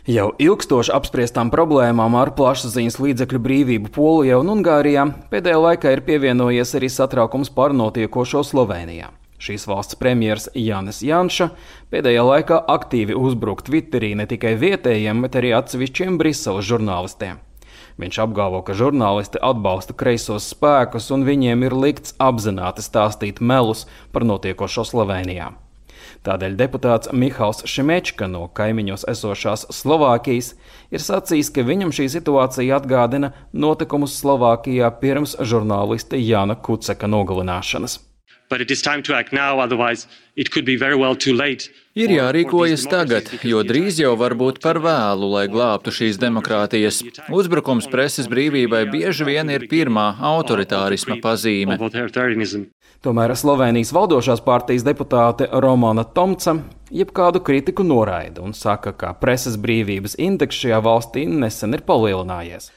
Jau ilgstoši apspriestām problēmām ar plašsaziņas līdzekļu brīvību Polijā un Ungārijā pēdējā laikā ir pievienojies arī satraukums par notiekošo Slovēnijā. Šīs valsts premjers Jānis Janša pēdējā laikā aktīvi uzbruk Twitterī ne tikai vietējiem, bet arī atsevišķiem Briseles žurnālistiem. Viņš apgalvo, ka žurnālisti atbalsta kreisos spēkus un viņiem ir likts apzināti stāstīt melus par notiekošo Slovēnijā. Tādēļ deputāts Mihals Šimečka no kaimiņos esošās Slovākijas ir sacījis, ka viņam šī situācija atgādina notikumus Slovākijā pirms žurnālista Jāna Kuceka nogalināšanas. Ir jārīkojas tagad, jo drīz jau var būt par vēlu, lai glābtu šīs demokrātijas. Uzbrukums preses brīvībai bieži vien ir pirmā autoritārisma pazīme. Tomēr Slovēnijas valdošās partijas deputāte Romana Tomca jebkādu kritiku noraida un saka, ka preses brīvības indeks šajā valstī nesen ir palielinājies.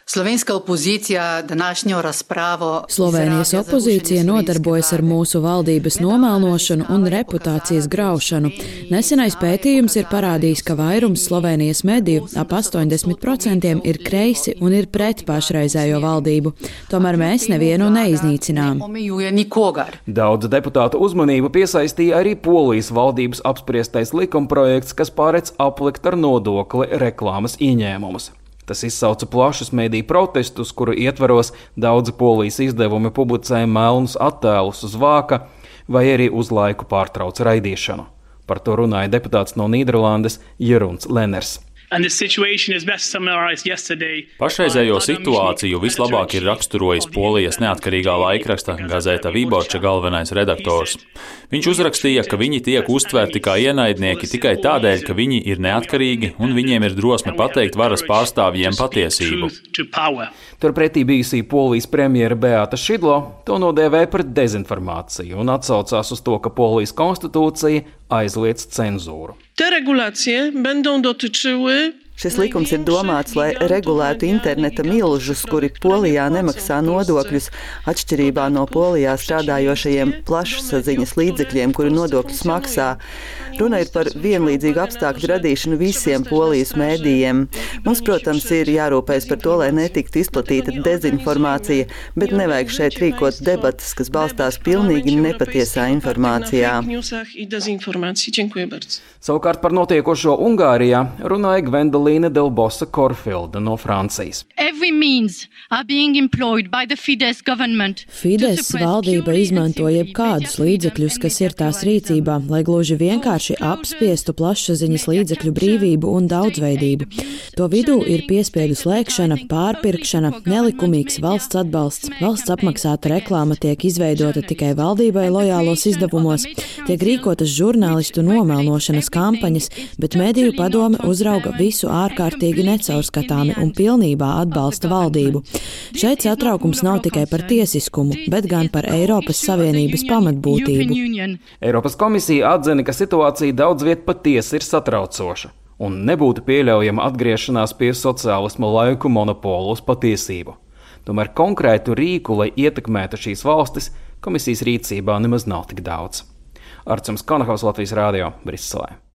Slovēnijas opozīcija nodarbojas ar mūsu valdības nomēlnošanu un reputācijas graušanu. Nesenais pētījums ir parādījis, ka vairums Slovēnijas mediju, ap 80%, ir kreisi un ir pret pašreizējo valdību. Tomēr mēs nevienu neiznīcinām. Daudz deputātu uzmanību piesaistīja arī Polijas valdības apspriestais likumprojekts, kas paredz aplikt ar nodokli reklāmas ieņēmumus. Tas izsauca plašus mediju protestus, kuru ietvaros daudzi Polijas izdevumi publicēja melnus attēlus uz vāka vai arī uz laiku pārtrauc raidīšanu. Par to runāja deputāts no Nīderlandes Jeruns Lenners. Pašreizējo situāciju vislabāk ir raksturojis Polijas neatkarīgā laikraksta Gazeta Wyborcza galvenais redaktors. Viņš uzrakstīja, ka viņi tiek uztverti kā ienaidnieki tikai tādēļ, ka viņi ir neatkarīgi un viņiem ir drosme pateikt varas pārstāvjiem patiesību. Turpretī bijusī Polijas premjera Beata Šidlo to nodēvēja par dezinformāciju un atsaucās uz to, ka Polijas konstitūcija aizliedz cenzūru. Šis likums ir domāts, lai regulētu interneta milžus, kuri Polijā nemaksā nodokļus, atšķirībā no Polijā strādājošajiem plašsaziņas līdzekļiem, kuri nodokļus maksā. Runa ir par vienlīdzīgu apstākļu radīšanu visiem Polijas mēdījiem. Mums, protams, ir jārūpējas par to, lai netiktu izplatīta dezinformācija, bet nevajag šeit rīkot debatas, kas balstās pilnīgi nepatiesā informācijā. Savukārt par notiekošo Ungārijā runāja Gwendolīne Delbosa Korfilda no Francijas. Fides valdība izmanto jebkādus līdzekļus, kas ir tās rīcībā, lai gluži vienkārši apspiestu plašsaziņas līdzekļu brīvību un daudzveidību. To vidū ir piespiedu slēgšana, pārpirkšana, nelikumīgs valsts atbalsts, valsts apmaksāta reklāma tiek izveidota tikai valdībai lojālos izdevumos, tiek rīkotas žurnālistu nomelnošanas kampaņas, bet mediju padome uzrauga visu ārkārtīgi necaurskatāmi un pilnībā atbalsta valdību. Šeit satraukums nav tikai par tiesiskumu, bet gan par Eiropas Savienības pamatbūtību. Eiropas komisija atzina, ka situācija daudz viet patiesi ir satraucoša un nebūtu pieļaujama atgriešanās pie sociālisma laiku monopolu uz patiesību. Tomēr konkrētu rīku, lai ietekmētu šīs valstis, komisijas rīcībā nemaz nav tik daudz. Arcums Konahaus, Latvijas Rādio, Briselē.